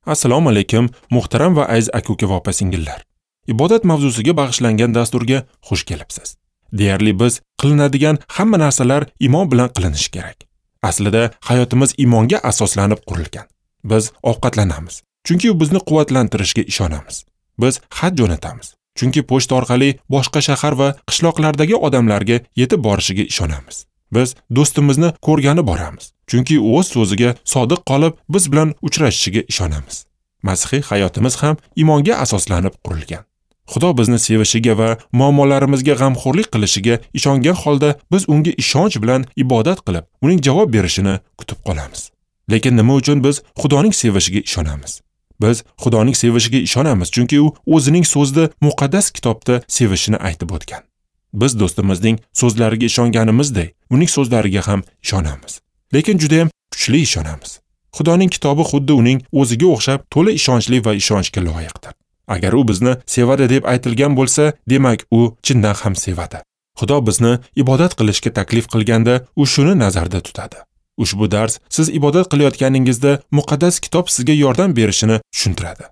Assalomu alaykum, muhtaram va aziz aka-uka va opa-singillar. Ibodat mavzusiga bag'ishlangan dasturga xush kelibsiz. Deyarli biz qilinadigan hamma narsalar iymon bilan qilinishi kerak. Aslida hayotimiz iymonga asoslanib qurilgan. Biz ovqatlanamiz, chunki u bizni quvvatlantirishiga ishonamiz. Biz xat jo'natamiz, chunki pochta orqali boshqa shahar va qishloqlardagi odamlarga yetib borishiga ishonamiz. Biz do'stimizni ko'rgani boramiz, chunki u o'z so'ziga sodiq qolib, biz bilan uchrashishiga ishonamiz. Masihiy hayotimiz ham iymonga asoslanib qurilgan. Xudo bizni sevishiga va muammolarimizga g'amxo'rlik qilishiga ishongan holda biz unga ishonch bilan ibodat qilib, uning javob berishini kutib qolamiz. Lekin nima uchun biz Xudoning sevishiga ishonamiz? Biz Xudoning sevishiga ishonamiz, chunki u o'zining so'zida muqaddas kitobda sevishini aytib o'tgan. Biz do'stimizning so'zlariga ishonganimizdek, uning so'zlariga ham ishonamiz. Lekin juda ham kuchli ishonamiz. Xudoning kitobi xuddi uning o'ziga o'xshab to'la ishonchli va ishonchga loyiqdir. Agar u bizni sevadi deb aytilgan bo'lsa, demak u chindan ham sevadi. Xudo bizni ibodat qilishga taklif qilganda, u shuni nazarda tutadi. Ushbu dars siz ibodat qilayotganingizda muqaddas kitob sizga yordam berishini tushuntiradi.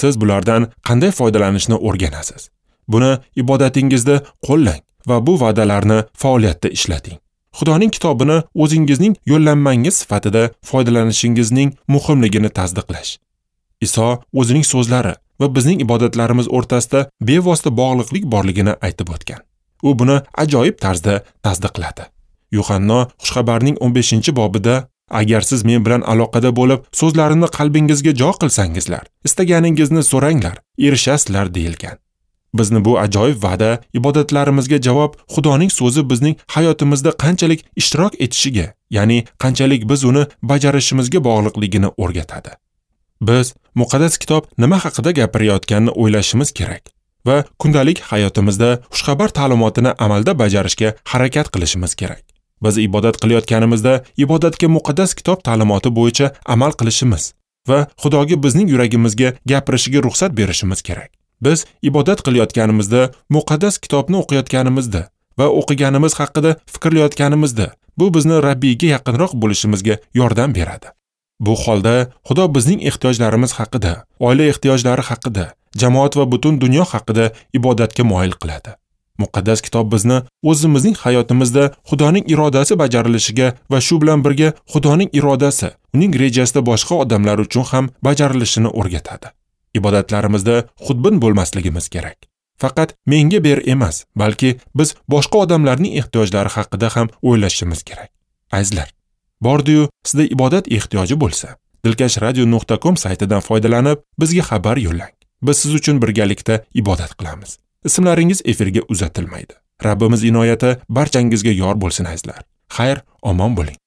Siz bulardan qanday foydalanishni o'rganasiz. Buni ibodatingizda qo'llang va bu va'dalarni faoliyatda ishlating. Xudoning kitobini o'zingizning yo'llanmangiz sifatida foydalanishingizning muhimligini tasdiqlash. Iso o'zining so'zlari va bizning ibodatlarimiz o'rtasida bevosita bog'liqlik borligini aytib o'tgan. U buni ajoyib tarzda tasdiqladi. Yuhanno Xushxabarning 15-bobida agar siz men bilan aloqada bo'lib, so'zlarimni qalbingizga jo qilsangizlar, istaganingizni so'ranglar, erishasizlar deyilgan. Bizni bu ajoyib va'da ibodatlarimizga javob Xudoning so'zi bizning hayotimizda qanchalik ishtirok etishiga, ya'ni qanchalik biz uni bajarishimizga bog'liqligini o'rgatadi. Biz muqaddas kitob nima haqida gapirayotganini o'ylashimiz kerak va kundalik hayotimizda xushxabar ta'limotini amalda bajarishga harakat qilishimiz kerak. Biz ibodat qilayotganimizda ibodatga muqaddas kitob ta'limoti bo'yicha amal qilishimiz va Xudoga bizning yuragimizga gapirishiga ruxsat berishimiz kerak. Biz ibodat qilayotganimizda, muqaddas kitobni o'qiyotganimizda va o'qiganimiz haqida fikrlayotganimizda bu bizni Rabbiyga yaqinroq bo'lishimizga yordam beradi. Bu holda Xudo bizning ehtiyojlarimiz haqida, oila ehtiyojlari haqida, jamoat va butun dunyo haqida ibodatga moyil qiladi. Muqaddas kitob bizni o'zimizning hayotimizda Xudoning irodasi bajarilishiga va shu bilan birga Xudoning irodasi, uning rejasida boshqa odamlar uchun ham bajarilishini o'rgatadi. Ibodatlarimizda xudbin bo'lmasligimiz kerak. Faqat menga ber emas, balki biz boshqa odamlarning ehtiyojlari haqida ham o'ylashimiz kerak. Azizlar, bordi-yu sizda ibodat ehtiyoji bo'lsa, dilkashradio.com saytidan foydalanib bizga xabar yo'llang. Biz siz uchun birgalikda ibodat qilamiz. Ismlaringiz efirga uzatilmaydi. Rabbimiz inoyati barchangizga yor bo'lsin azizlar. Xayr, omon bo'ling.